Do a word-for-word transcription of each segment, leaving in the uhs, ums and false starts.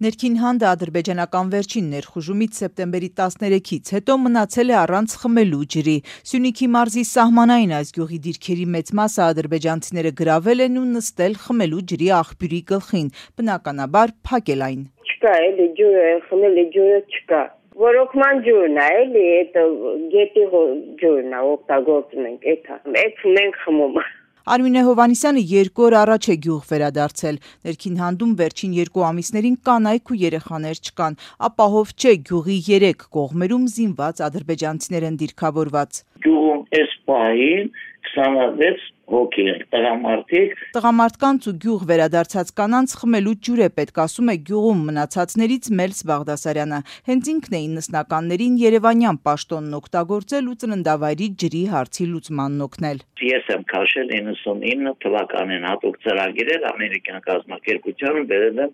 Ներքին հանդը ադրբեջանական վերջին ներխուժումից սեպտեմբերի տասներեքից հետո մնացել է առանց խմելու ջրի։ Սյունիքի մարզի սահմանային այս գյուղի դիրքերի մեծ մասը ադրբեջանցիները գրավել են ու նստել խմելու ջրի աղբյուրի գլխին, բնականաբար փակել այն։ Չկա էլի ջուրը, խմելի ջուրը չկա։ Ռոռոկման ջուրն է, էլի, այդ գետի ջուրն է, օգտագործում ենք, էդ է, մենք խմում։ Արմինե Հովհաննիսյանը երկու օր առաջ է գյուղ վերադարձել։ Ներքին հանդում վերջին երկու ամիսներին կանայք ու երեխաներ չկան, ապահով չէ գյուղի երեք կողմերում զինված ադրբեջանցիներ են դիրքավորված։ Գյուղում էս պահին քսանվեց հոգի են, տղամարդիկ։ Տղամարդկանց ու գյուղ վերադարձած կանանց խմելու ջուր է պետք, ասում է գյուղում մնացածներից Մելս Բաղդասարյանը։ Հենց ինքն է իննսնականներին երևանյան պաշտոնն օգտագործել ու ծննդավայրի ջրի հարցի լուծմանն օգնել։ Ես եմ քաշել իննսունինը թվականին հատուկ ծրագիր էր ամերիկյան կազմակերպությանը բերել եմ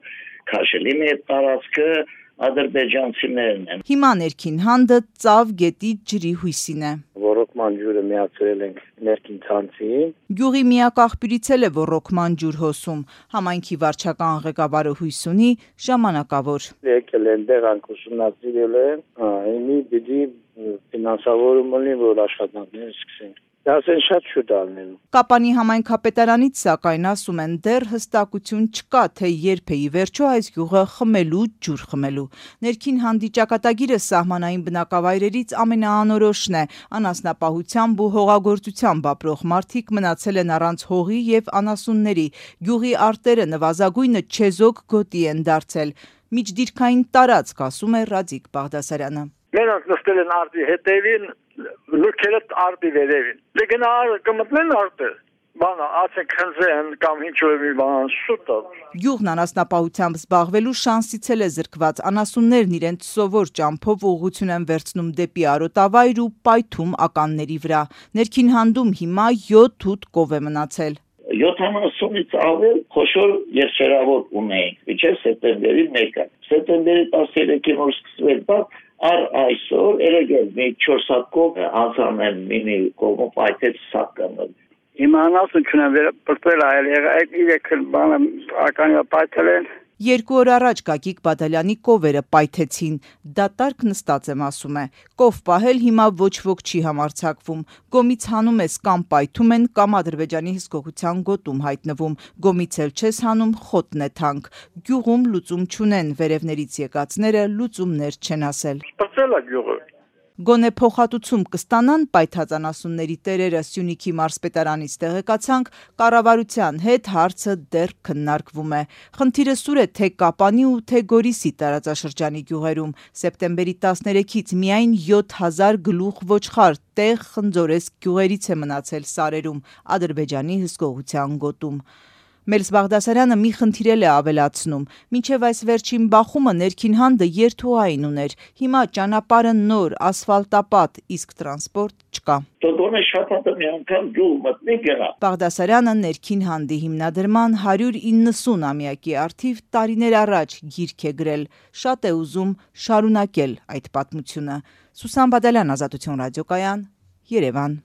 քաշել։ Իմ այդ տարածքը ադրբեջանցիներն են։ Հիմա ներքին հանդը ծավ գետի ջրի հույսին է։ Ռոռոկման ջուրը միացրել ենք ներքին ցանցին։ Գյուղի միակ աղբյուրից էլ է ռոռոկման ջուր հոսում։ Համայնքի վարչական ղեկավարը հույս ունի ժամանակավոր։ Եկել են դեղանք ուսումնասիրել են, հիմի պիտի ֆինանսավորում լինի, որ աշխատանքներ սկսեն։ Դասեն շատ շուտ ալնելու։ Կապանի համայնքապետարանից սակայն ասում են դեռ հստակություն չկա, թե երբ է ի վերջո այս գյուղը խմելու ջուր խմելու։ Ներքին հանդի ճակատագիրը սահմանային բնակավայրերից ամենաանորոշն է։ Անասնապահությամբ ու հողագործությամբ ապրող մարդիկ մնացել են առանց հողի եւ անասունների։ Գյուղի արտերը նվազագույնը չեզոք գոտի են դարձել։ Միջդիրքային տարածք, ասում է Ռաձիկ Բաղդասարյանը։ Նրանք նստել են արտի հետևին, լուքերը արտի վերևին։ Լեգնա կմտնեն արտը, բանը ասենք խնձեն կամ ինչ-որ մի բան շուտը։ Գյուղն անասնապահությամբ զբաղվելու շանսից էլ է զրկված։ Անասուններն իրենց սովոր ճամփով ուղղություն են վերցնում դեպի Արոտավայր ու պայթում ականների վրա։ Ներքին հանդում հիմա յոթ ութ կով է մնացել։ յոթանասունից ավել խոշոր երշերավոր ունեինք, միջև սեպտեմբերի մեկը։ Սեպտեմբերի տասներեքին որ սկսվել բա Ար այսօր երեգել մի չորս հատ կով անցանեն մինի կողմը պայթեց սականը։ Հիմա անասուն չունեմ վերապրտվել այլ այդ իրեք բանը ականի պայթել են։ Երկու օր առաջ Գագիկ Բադալյանի կովերը պայթեցին, դատարկ նստած եմ ասում է, կով պահել հիմա ոչ ոք չի համարձակվում, գոմից հանում ես կամ պայթում են կամ ադրբեջանի հսկողության գոտում հայտնվում, գոմից էլ չես հանում խոտն է թանկ, գյուղում լուծում չունեն, վերևներից եկածները լուծումներ չեն ասել։ Սպրծել է գյուղը։ Գոնե փոխհատուցում կստանան պայթած անասունների տերերը Սյունիքի մարզպետարանից տեղեկացանք, կառավարության հետ հարցը դեռ քննարկվում է։ Խնդիրը սուր է թե Կապանի ու թե Գորիսի տարածաշրջանի գյուղերում։ Սեպտեմբերի տասներեքից միայն յոթ հազար գլուխ ոչխար տեղ խնձորեսկ գյուղերից է մնացել սարերում, Ադրբեջանի հսկողության գոտում։ Մելս Բաղդասարյանը մի խնդիր էլ է ավելացնում. մինչև այս վերջին բախումը ներքին հանդը երթուղային ուներ, հիմա ճանապարհը նոր, ասֆալտապատ, իսկ տրանսպորտ չկա։ Տոդոնը շաբաթը մի անգամ գյուղ մտնի գնա։ Բաղդասարյանը ներքին հանդի հիմնադրման հարյուր իննսուն-ամյակի առթիվ տարիներ առաջ գիրք է գրել, շատ է ուզում շարունակել այդ պատմությունը։ Սուսան Բադալյան, Ազատություն ռադիոկայան, Երևան։